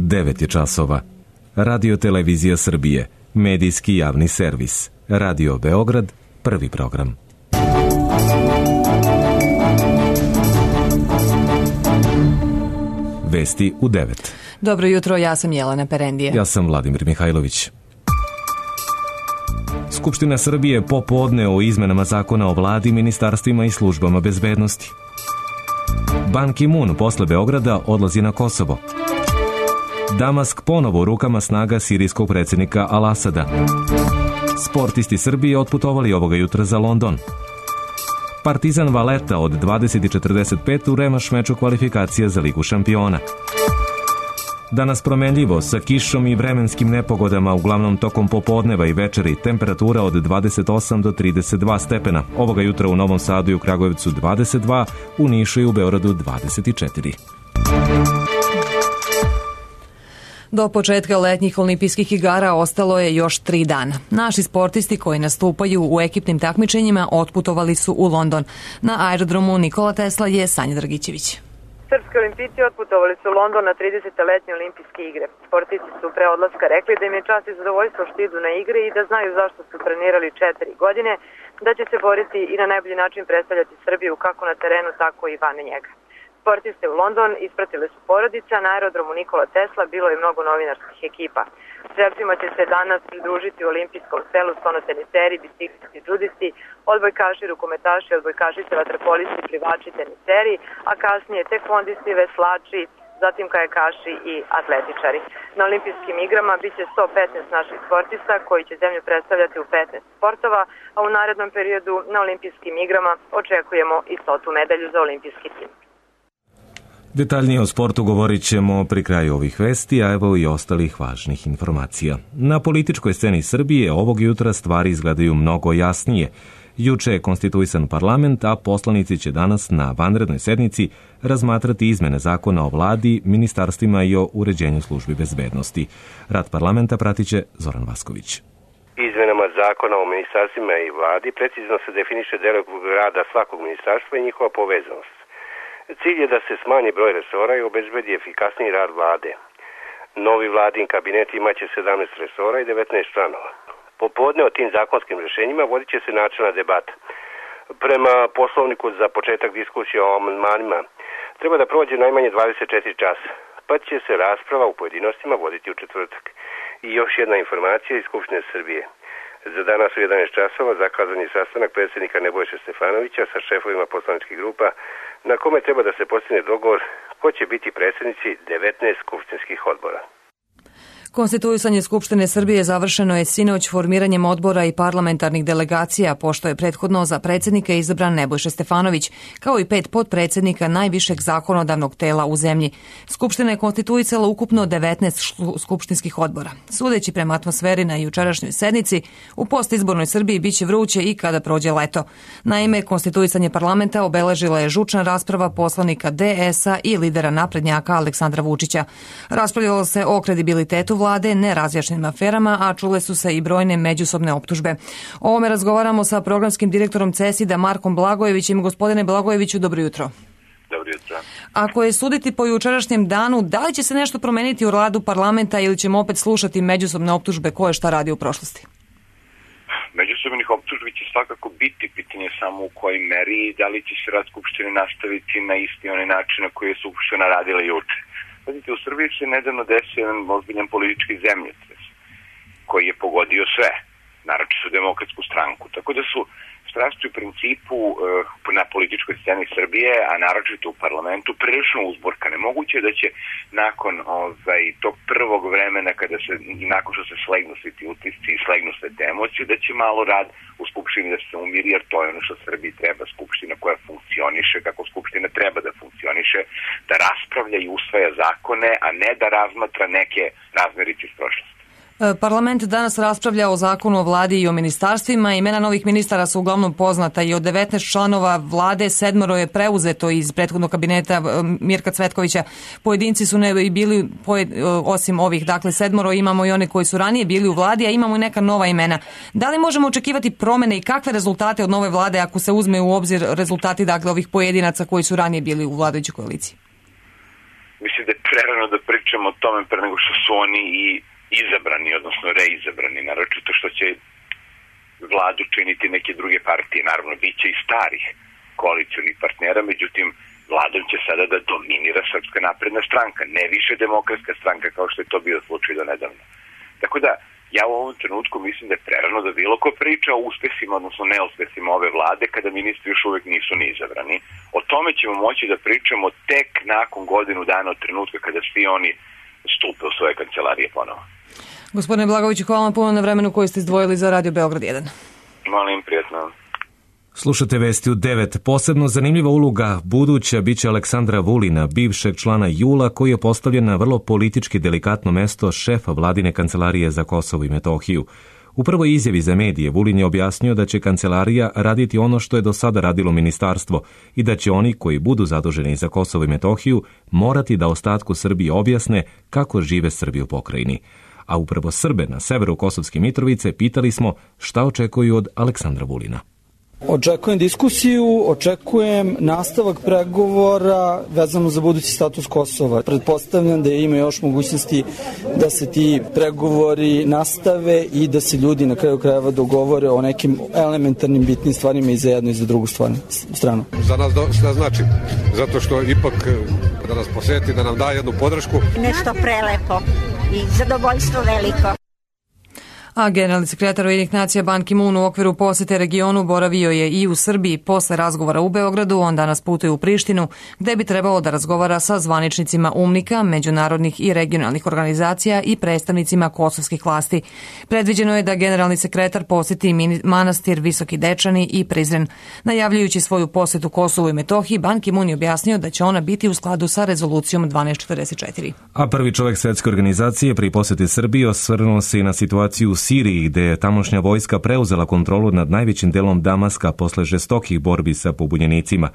9 je časova. Radio Televizija Srbije, medijski javni servis. Radio Beograd, prvi program. Vesti u 9. Dobro jutro, ja sam Jelena Perendije. Ja sam Vladimir Mihajlović. Skupština Srbije popodne o izmenama zakona o vladi, ministarstvima i službama bezbednosti. Ban Ki-moon posle Beograda odlazi na Kosovo. Damask ponovo u rukama snaga sirijskog predsjednika Al-Asada. Sportisti Srbije otputovali ovoga jutra za London. Partizan Valeta od 20:45 u remaš meču kvalifikacija za Ligu šampiona. Danas promenljivo sa kišom i vremenskim nepogodama, uglavnom tokom popodneva i večeri, temperatura od 28 do 32 stepena. Ovoga jutra u Novom Sadu i u Kragujevcu 22, u Nišu i u Beogradu 24. Do početka letnjih olimpijskih igara ostalo je još 3 dana. Naši sportisti koji nastupaju u ekipnim takmičenjima otputovali su u London. Na aerodromu Nikola Tesla je Sanja Dragićević. Srpski olimpijci otputovali su u London na 30. letnje olimpijske igre. Sportisti su pre odlaska rekli da im je čast i zadovoljstvo što idu na igre i da znaju zašto su trenirali 4 godine, da će se boriti i na najbolji način predstavljati Srbiju kako na terenu, tako i van njega. Sportiste u London ispratile su porodica, na aerodromu Nikola Tesla bilo je mnogo novinarskih ekipa. Strelcima će se danas pridružiti u olimpijskom selu stonoteniseri, biciklisti, džudisti, odbojkaši, rukometaši, odbojkašice, vaterpolisti, plivači, teniseri, a kasnije tekvondisti, veslači, zatim kajakaši i atletičari. Na olimpijskim igrama biće 115 naših sportista koji će zemlju predstavljati u 15 sportova, a u narednom periodu na olimpijskim igrama očekujemo i 100. medalju za olimpijski tim. Detaljnije o sportu govorit ćemo pri kraju ovih vesti, a evo i ostalih važnih informacija. Na političkoj sceni Srbije ovog jutra stvari izgledaju mnogo jasnije. Juče je konstituisan parlament, a poslanici će danas na vanrednoj sednici razmatrati izmene zakona o vladi, ministarstvima i o uređenju službi bezbednosti. Rad parlamenta pratit će Zoran Vasković. Izmenama zakona o ministarstvima i vladi precizno se definiše delokrug rada svakog ministarstva i njihova povezanost. Cilj je da se smanji broj resora i obezbedi efikasniji rad vlade. Novi vladin kabinet imaće 17 resora i 19 članova. Popodne o tim zakonskim rješenjima vodit će se načelna debata. Prema poslovniku za početak diskusije o amandmanima treba da prođe najmanje 24 časa, pa će se rasprava u pojedinostima voditi u četvrtak. I još jedna informacija iz Skupštine Srbije. Za danas u 11 časova zakazan je sastanak predsjednika Nebojše Stefanovića sa šefovima poslaničkih grupa, na kome treba da se postigne dogovor ko će biti predsjednici 19 skupštinskih odbora. Konstituisanje Skupštine Srbije završeno je sinoć formiranjem odbora i parlamentarnih delegacija, pošto je prethodno za predsjednika izabran Nebojša Stefanović, kao i 5 potpredsjednika najvišeg zakonodavnog tela u zemlji. Skupština je konstituisala ukupno 19 skupštinskih odbora. Sudeći prema atmosferi na jučerašnjoj sednici, u postizbornoj Srbiji biće vruće i kada prođe leto. Naime, konstituisanje parlamenta obeležila je žučna rasprava poslanika DS-a i lidera naprednjaka Aleksandra Vučića. Raspravljalo se o kredibilitetu vlade, nerazjašnjenim aferama, a čule su se i brojne međusobne optužbe. O ovome razgovaramo sa programskim direktorom CESID-a Markom Blagojevićem. Gospodine Blagojeviću, dobro jutro. Dobro jutro. Ako je suditi po jučerašnjem danu, da li će se nešto promeniti u radu parlamenta ili ćemo opet slušati međusobne optužbe ko je šta radi u prošlosti? Međusobnih optužbi će svakako biti, pitanje samo u kojoj meri i da li će se rad Skupštine nastaviti na isti onaj način na koji je Skupština radila juče. Vidite, u Srbiji se nedavno desio jedan ozbiljan politički zemljotres koji je pogodio sve, naročito Demokratsku stranku. Tako da su strasti u principu na političkoj sceni Srbije, a naročito u parlamentu, prilično uzburkane. Moguće je da će nakon tog prvog vremena, nakon što se slegnu svi ti utisci i slegnu sve te emocije, da će malo rad u Skupštini da se umiri, jer to je ono što Srbiji treba, Skupština koja funkcioniše kako Skupština treba da funkcioniše, da raspravlja i usvaja zakone, a ne da razmatra neke razmerice iz prošlosti. Parlament danas raspravlja o zakonu o vladi i o ministarstvima. Imena novih ministara su uglavnom poznata i od 19 članova vlade 7 je preuzeto iz prethodnog kabineta Mirka Cvetkovića. Pojedinci su ne bili, osim ovih, dakle 7 imamo i one koji su ranije bili u vladi, a imamo i neka nova imena. Da li možemo očekivati promene i kakve rezultate od nove vlade ako se uzme u obzir rezultati dakle ovih pojedinaca koji su ranije bili u vladajućoj koaliciji? mislim da je prerano da pričamo o tome pre nego što su oni i izabrani, odnosno reizabrani, naročito što će vladu činiti neke druge partije. Naravno, bit će i starih koalicionih partnera, međutim, vladom će sada da dominira Srpska napredna stranka, ne više Demokratska stranka kao što je to bio slučaj do nedavno. Tako da, ja u ovom trenutku mislim da je prerano da bilo ko priča o uspesima, odnosno neuspesima ove vlade, kada ministri još uvek nisu ni izabrani. O tome ćemo moći da pričamo tek nakon godinu dana od trenutka kada svi oni stupe u svoje kancelarije ponovo. Gospodine Blagoviću, hvala vam puno na vremenu koji ste izdvojili za Radio Beograd 1. Molim, prijatno. Slušate Vesti u 9. Posebno zanimljiva uloga buduća biće Aleksandra Vulina, bivšeg člana JUL-a, koji je postavljen na vrlo politički delikatno mesto šefa vladine kancelarije za Kosovo i Metohiju. U prvoj izjavi za medije Vulin je objasnio da će kancelarija raditi ono što je do sada radilo ministarstvo i da će oni koji budu zaduženi za Kosovo i Metohiju morati da ostatku Srbije objasne kako žive Srbi u pokrajini. A upravo Srbe na severu Kosovske Mitrovice pitali smo šta očekuju od Aleksandra Vulina. Očekujem diskusiju, očekujem nastavak pregovora vezano za budući status Kosova. Pretpostavljam da ima još mogućnosti da se ti pregovori nastave i da se ljudi na kraju krajeva dogovore o nekim elementarnim bitnim stvarima i za jednu i za drugu stranu. Za nas šta znači? Zato što ipak da nas poseti, da nam da jednu podršku. Nešto prelepo i zadovoljstvo veliko. A generalni sekretar Ujedinjenih nacija Ban Ki-moon u okviru posete regionu boravio je i u Srbiji. Posle razgovora u Beogradu on danas putuje u Prištinu, gde bi trebalo da razgovara sa zvaničnicima UNMIK-a, međunarodnih i regionalnih organizacija i predstavnicima kosovskih vlasti. Predviđeno je da generalni sekretar poseti manastir Visoki Dečani i Prizren. Najavljujući svoju posetu Kosovu i Metohiji, Ban Ki-moon je objasnio da će ona biti u skladu sa rezolucijom 1244. A prvi čovjek Svetske organizacije pri poseti Srbiji osvrnuo se i na situaciju u Siriji, gde je tamošnja vojska preuzela kontrolu nad najvećim delom Damaska posle žestokih borbi sa pobunjenicima.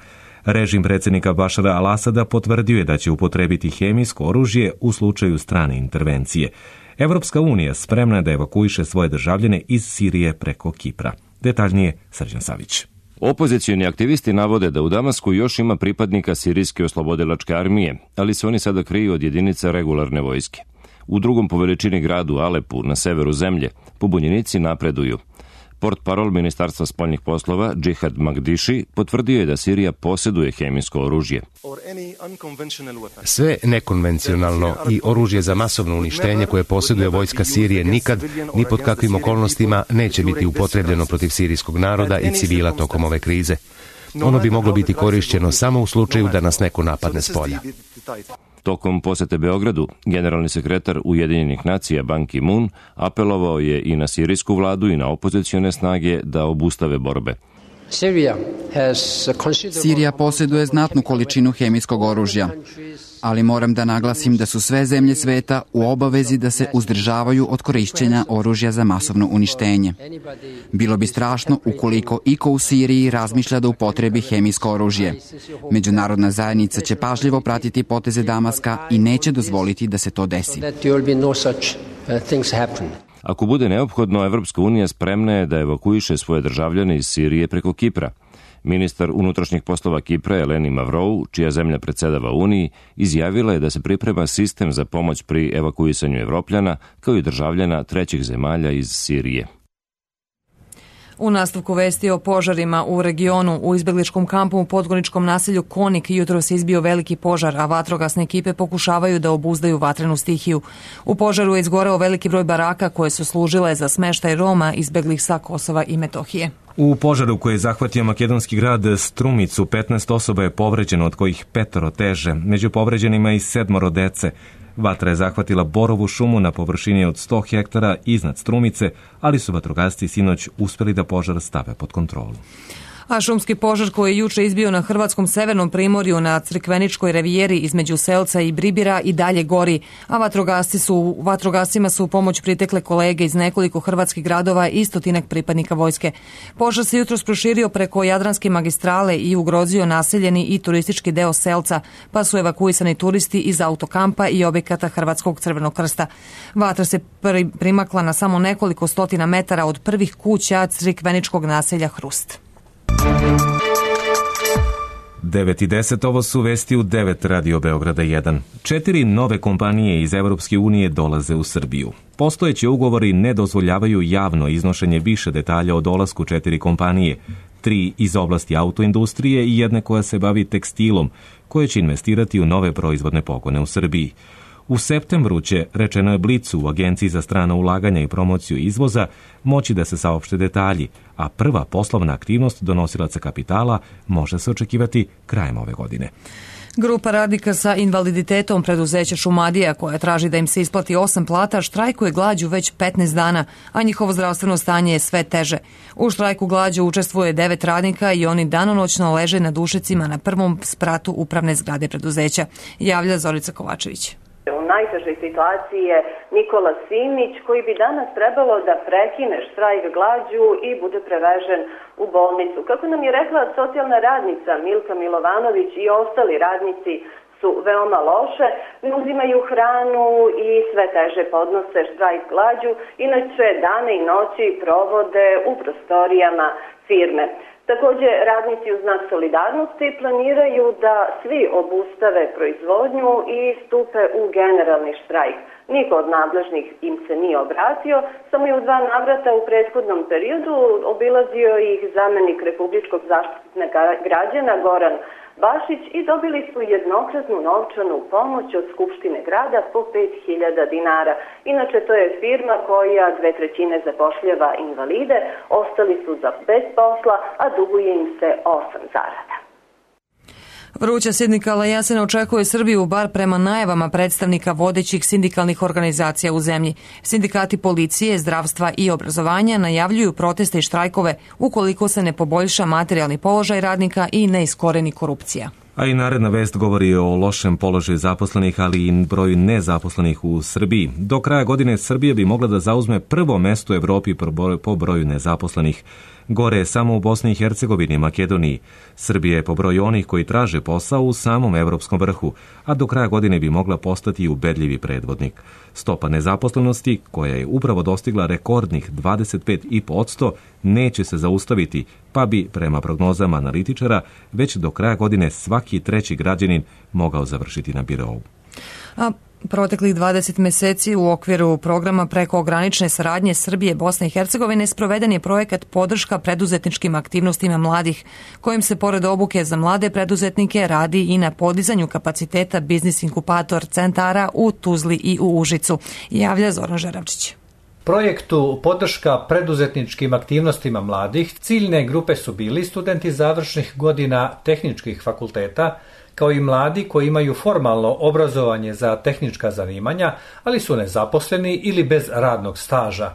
Režim predsjednika Bašara al-Asada potvrdio je da će upotrebiti hemijsko oružje u slučaju strane intervencije. Evropska unija spremna je da evakuiše svoje državljane iz Sirije preko Kipra. Detaljnije Srđan Savić. Opozicioni aktivisti navode da u Damasku još ima pripadnika Sirijske oslobodilačke armije, ali se oni sada kriju od jedinica regularne vojske. U drugom po veličini gradu Alepu, na severu zemlje, pobunjenici napreduju. Portparol Ministarstva spoljnih poslova, Džihad Magdiši, potvrdio je da Sirija posjeduje hemijsko oružje. Sve nekonvencionalno i oružje za masovno uništenje koje posjeduje vojska Sirije nikad, ni pod kakvim okolnostima, neće biti upotrebljeno protiv sirijskog naroda i civila tokom ove krize. Ono bi moglo biti korišćeno samo u slučaju da nas neko napadne s polja. Tokom posete Beogradu, generalni sekretar Ujedinjenih nacija Ban Ki-moon apelovao je i na sirijsku vladu i na opozicione snage da obustave borbe. Sirija posjeduje znatnu količinu hemijskog oružja, ali moram da naglasim da su sve zemlje sveta u obavezi da se uzdržavaju od korišćenja oružja za masovno uništenje. Bilo bi strašno ukoliko iko u Siriji razmišlja da upotrebi hemijsko oružje. Međunarodna zajednica će pažljivo pratiti poteze Damaska i neće dozvoliti da se to desi. Ako bude neophodno, Evropska unija spremna je da evakuiše svoje državljane iz Sirije preko Kipra. Ministar unutrašnjih poslova Kipra Eleni Mavrou, čija zemlja predsedava Uniji, izjavila je da se priprema sistem za pomoć pri evakuisanju Evropljana, kao i državljana trećih zemalja iz Sirije. U nastavku vesti o požarima u regionu, u izbegličkom kampu u podgorničkom naselju Konik jutro se izbio veliki požar, a vatrogasne ekipe pokušavaju da obuzdaju vatrenu stihiju. U požaru je izgoreo veliki broj baraka koje su služile za smeštaj Roma izbeglih sa Kosova i Metohije. U požaru koji je zahvatio makedonski grad Strumicu, 15 osoba je povređeno, od kojih 5 teže. Među povređenima i 7 dece. Vatra je zahvatila borovu šumu na površini od 100 hektara iznad Strumice, ali su vatrogasci sinoć uspeli da požar stave pod kontrolu. A šumski požar koji je juče izbio na hrvatskom severnom primorju na Crikveničkoj revijeri između Selca i Bribira i dalje gori, a vatrogascima su u pomoć pritekle kolege iz nekoliko hrvatskih gradova i 100 pripadnika vojske. Požar se jutros proširio preko Jadranske magistrale i ugrozio naseljeni i turistički deo Selca, pa su evakuisani turisti iz autokampa i objekata Hrvatskog Crvenog krsta. Vatra se primakla na samo nekoliko stotina metara od prvih kuća Crikveničkog naselja Hrust. 9:10, ovo su vesti u 9 Radio Beograda 1. 4 nove kompanije iz Evropske unije dolaze u Srbiju. Postojeći ugovori ne dozvoljavaju javno iznošenje više detalja o dolasku 4 kompanije, 3 iz oblasti autoindustrije i jedne koja se bavi tekstilom, koje će investirati u nove proizvodne pogone u Srbiji. U septembru će, rečeno je Blicu u Agenciji za strana ulaganja i promociju izvoza, moći da se saopšte detalji, a prva poslovna aktivnost donosilaca kapitala može se očekivati krajem ove godine. Grupa radnika sa invaliditetom preduzeća Šumadija, koja traži da im se isplati 8 plata, štrajkuje glađu već 15 dana, a njihovo zdravstveno stanje je sve teže. U štrajku glađu učestvuje 9 radnika i oni danonoćno leže na dušecima na prvom spratu upravne zgrade preduzeća, javlja Zorica Kovačević. U najtežoj situaciji je Nikola Simić, koji bi danas trebalo da prekine štrajk glađu i bude prevežen u bolnicu. Kako nam je rekla socijalna radnica Milka Milovanović, i ostali radnici su veoma loše, ne uzimaju hranu i sve teže podnose štrajk glađu, inače dane i noći provode u prostorijama firme. Također, radnici u znak solidarnosti planiraju da svi obustave proizvodnju i stupe u generalni štrajk. Niko od nadležnih im se nije obratio, samo je u 2 navrata u prethodnom periodu obilazio ih zamenik Republičkog zaštitnika građana Goran Bašić i dobili su jednokratnu novčanu pomoć od Skupštine grada po 5.000 dinara. Inače, to je firma koja 2/3 zapošljava invalide, ostali su bez posla, a duguje im se 8 zarada. Vruća sindikala jesen očekuje Srbiju, bar prema najavama predstavnika vodećih sindikalnih organizacija u zemlji. Sindikati policije, zdravstva i obrazovanja najavljuju proteste i štrajkove ukoliko se ne poboljša materijalni položaj radnika i ne iskoreni korupcija. A i naredna vest govori o lošem položaju zaposlenih, ali i broju nezaposlenih u Srbiji. Do kraja godine Srbija bi mogla da zauzme prvo mesto u Evropi po broju nezaposlenih. Gore je samo u Bosni i Hercegovini i Makedoniji. Srbija je po broju onih koji traže posao u samom evropskom vrhu, a do kraja godine bi mogla postati ubedljivi predvodnik. Stopa nezaposlenosti, koja je upravo dostigla rekordnih 25,5%, neće se zaustaviti, pa bi, prema prognozama analitičara, već do kraja godine svaki 3. građanin mogao završiti na birou. Proteklih 20 meseci u okviru programa prekogranične saradnje Srbije, Bosne i Hercegovine sproveden je projekat podrška preduzetničkim aktivnostima mladih, kojim se pored obuke za mlade preduzetnike radi i na podizanju kapaciteta biznis inkubator centara u Tuzli i u Užicu, javlja Zoran Žeravčić. Projektu podrška preduzetničkim aktivnostima mladih ciljne grupe su bili studenti završnih godina tehničkih fakulteta, kao i mladi koji imaju formalno obrazovanje za tehnička zanimanja, ali su nezaposleni ili bez radnog staža.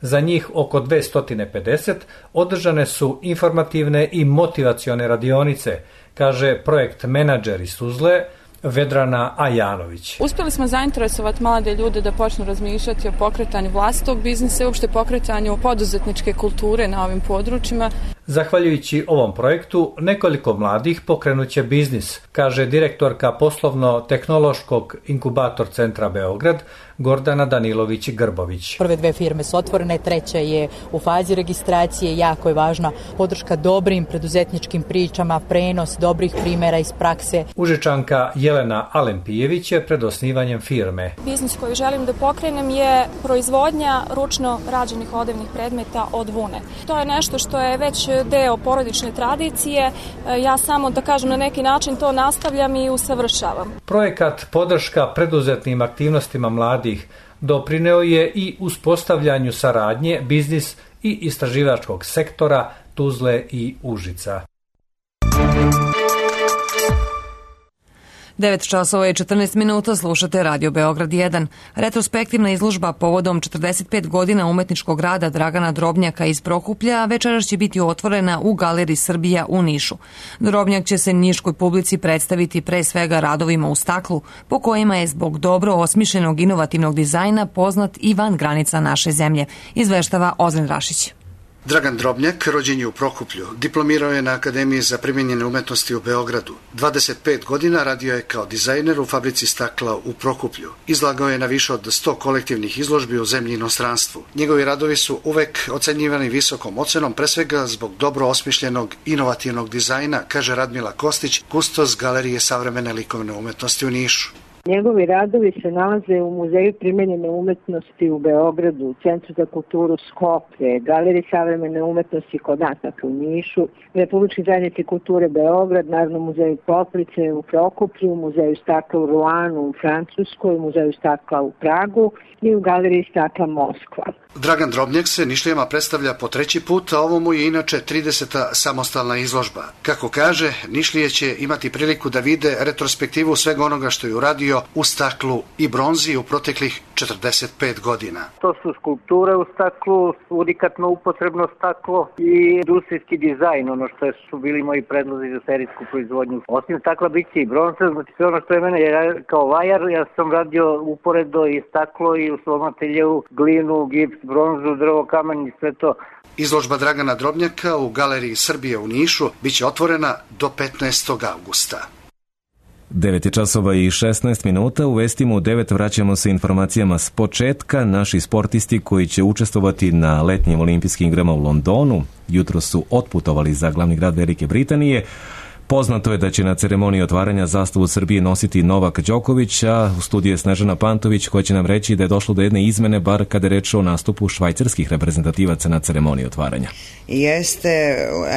Za njih oko 250 održane su informativne i motivacione radionice, kaže projekt menadžer iz Tuzle, Vedrana Ajanović. Uspjeli smo zainteresovati mlade ljude da počnu razmišljati o pokretanju vlastitog biznisa i uopšte pokretanju poduzetničke kulture na ovim područjima. Zahvaljujući ovom projektu, nekoliko mladih pokrenuće biznis, kaže direktorka poslovno-tehnološkog inkubator centra Beograd, Gordana Danilović-Grbović. Prve 2 firme su otvorene, 3. je u fazi registracije, jako je važna podrška dobrim preduzetničkim pričama, prenos dobrih primjera iz prakse. Užičanka Jelena Alempijević je pred osnivanjem firme. Biznis koji želim da pokrenem je proizvodnja ručno rađenih odevnih predmeta od vune. To je nešto što je već deo porodične tradicije, ja samo, da kažem, na neki način to nastavljam i usavršavam. Projekat podrška preduzetnim aktivnostima mladih doprineo je i uspostavljanju saradnje biznis i istraživačkog sektora Tuzle i Užica. 9:14 slušate Radio Beograd 1. Retrospektivna izložba povodom 45 godina umetničkog rada Dragana Drobnjaka iz Prokuplja večeras će biti otvorena u Galeriji Srbija u Nišu. Drobnjak će se niškoj publici predstaviti pre svega radovima u staklu, po kojima je zbog dobro osmišljenog inovativnog dizajna poznat i van granica naše zemlje, izveštava Ozren Rašić. Dragan Drobnjak rođen je u Prokuplju, diplomirao je na Akademiji za primijenjene umetnosti u Beogradu. 25 godina radio je kao dizajner u fabrici stakla u Prokuplju. Izlagao je na više od 100 kolektivnih izložbi u zemlji i inostranstvu. Njegovi radovi su uvek ocenjivani visokom ocenom, pre svega zbog dobro osmišljenog, inovativnog dizajna, kaže Radmila Kostić, kustos Galerije savremene likovne umetnosti u Nišu. Njegovi radovi se nalaze u Muzeju primenjene umetnosti u Beogradu, u Centru za kulturu Skoplje, Galeriji savremene umetnosti kod nas u Nišu, Republičkoj zajednici kulture Beograd, Narodnom muzeju Poprice u Prokuplju, Muzeju stakla u Ruanu u Francuskoj, Muzeju stakla u Pragu i u Galeriji stakla Moskva. Dragan Drobnjak se Nišlijama predstavlja po 3. put, a ovo mu je inače 30. samostalna izložba. Kako kaže, Nišlije će imati priliku da vide retrospektivu svega onoga što je uradio u staklu i bronzi u proteklih 45 godina. To su skulpture u staklu, unikatno upotrebno staklo i industrijski dizajn, ono što su bili moji predlozi za serijsku proizvodnju. Osim stakla bit će i bronza, znači sve ono što je mene kao vajar, ja sam radio uporedo i staklo i u svom ateljeu glinu, gips, bronzu, drvo, kamen i sve to. Izložba Dragana Drobnjaka u Galeriji Srbije u Nišu biće otvorena do 15. augusta. 9 časova i 16 minuta. U vestima u 9 vraćamo se informacijama s početka. Naši sportisti koji će učestvovati na letnjim olimpijskim igrama u Londonu jutro su otputovali za glavni grad Velike Britanije. Poznato je da će na ceremoniji otvaranja zastavu Srbije nositi Novak Đoković, a u studiju je Snežana Pantović koja će nam reći da je došlo do jedne izmene, bar kada je reč o nastupu švajcarskih reprezentativaca na ceremoniji otvaranja. Jeste,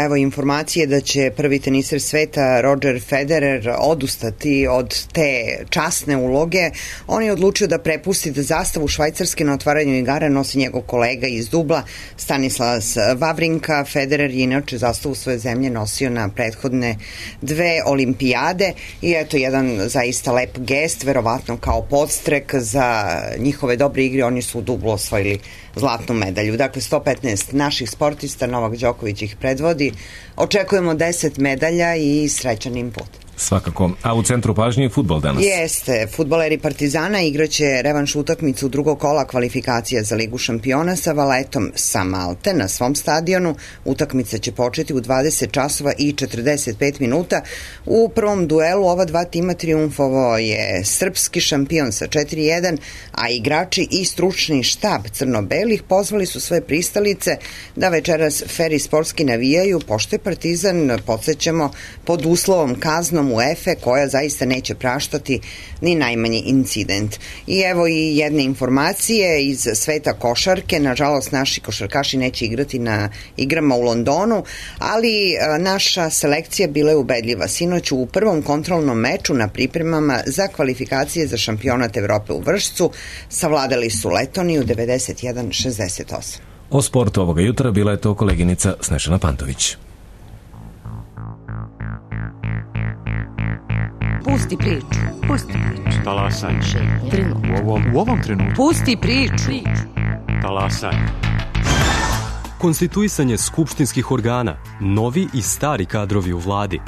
evo informacije da će prvi teniser sveta Roger Federer odustati od te časne uloge. On je odlučio da prepusti da zastavu Švajcarske na otvaranju igara nosi njegov kolega iz Dubla, Stanislas Wawrinka. Federer je inače zastavu svoje zemlje nosio na prethodne 2 olimpijade i eto jedan zaista lep gest, verovatno kao podstrek za njihove dobre igre. Oni su u Dublu osvojili zlatnu medalju. Dakle, 115 naših sportista, Novak Đoković ih predvodi. Očekujemo 10 medalja i srećan im put. Svakako. A u centru pažnje je fudbal danas. Jeste. Fudbaleri Partizana igraće revanš utakmicu drugog kola kvalifikacija za Ligu šampiona sa Valetom sa Malte na svom stadionu. Utakmica će početi u 20 časova i 45 minuta. U prvom duelu ova dva tima triumfovao je srpski šampion sa 4-1, a igrači i stručni štab crno-belih pozvali su svoje pristalice da večeras fer i sportski navijaju, pošto je Partizan, podsjećamo, pod uslovom kaznom UEFA koja zaista neće praštati ni najmanji incident. I evo i jedne informacije iz sveta košarke. Nažalost, naši košarkaši neće igrati na igrama u Londonu, ali naša selekcija bila je ubedljiva. Sinoć u prvom kontrolnom meču na pripremama za kvalifikacije za šampionat Evrope u Vršcu savladali su Letoniju 91-68. O sportu ovoga jutra bila je to koleginica Snežana Pantović. Pusti priču. Pusti priču. Talasaj. U ovom trenutku. Pusti priču. Talasaj. Konstituisanje skupštinskih organa, novi i stari kadrovi u vladi.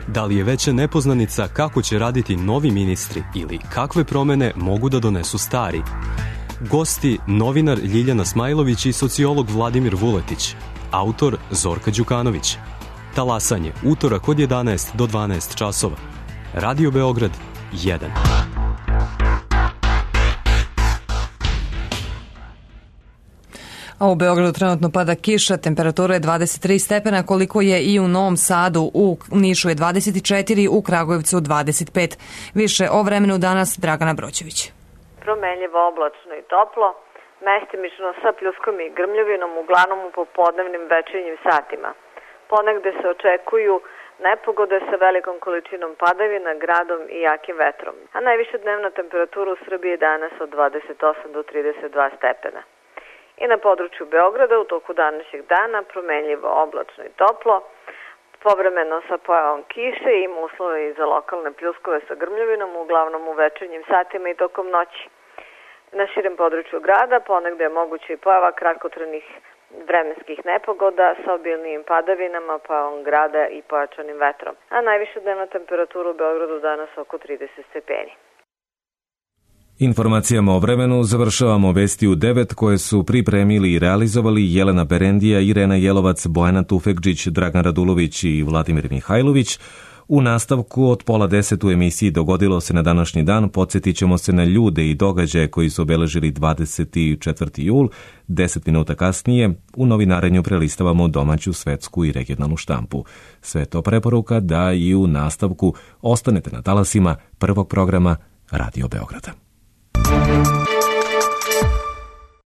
Da li je veća nepoznanica kako će raditi novi ministri ili kakve promene mogu da donesu stari? Gosti novinar Ljiljana Smajlović i sociolog Vladimir Vuletić. Autor Zorka Đukanović. Talasanje, utorak od 11 do 12 časova. Radio Beograd 1. A u Beogradu trenutno pada kiša, temperatura je 23 stepena, koliko je i u Novom Sadu, u Nišu je 24, u Kragujevcu 25. Više o vremenu danas Dragana Broćević. Promenljivo, oblačno i toplo, mestimično sa pljuskom i grmljovinom, uglavnom u popodnevnim večernjim satima. Ponegde se očekuju nepogode sa velikom količinom padavina, gradom i jakim vetrom, a najviša dnevna temperatura u Srbiji je danas od 28 do 32 stepena. I na području Beograda u toku današnjeg dana promenljivo, oblačno i toplo, povremeno sa pojavom kiše, ima uslove i za lokalne pljuskove sa grmljovinom, uglavnom u večernjim satima i tokom noći. Na širem području grada ponegde je moguće i pojava kratkotrajnih vremenskih nepogoda sa obilnijim padavinama, pojavom grada i pojačanim vetrom. A najviša dnevna temperatura u Beogradu danas oko 30 stepeni. Informacijama o vremenu završavamo vesti u 9 koje su pripremili i realizovali Jelena Berendija, Irena Jelovac, Bojana Tufekđić, Dragan Radulović i Vladimir Mihajlović. U nastavku od 9:30 u emisiji Dogodilo se na današnji dan podsjetit ćemo se na ljude i događaje koji su obeležili 24. jul. 10 minuta kasnije u novinarenju prelistavamo domaću, svetsku i regionalnu štampu. Sve to preporuka da i u nastavku ostanete na talasima prvog programa Radio Beograda.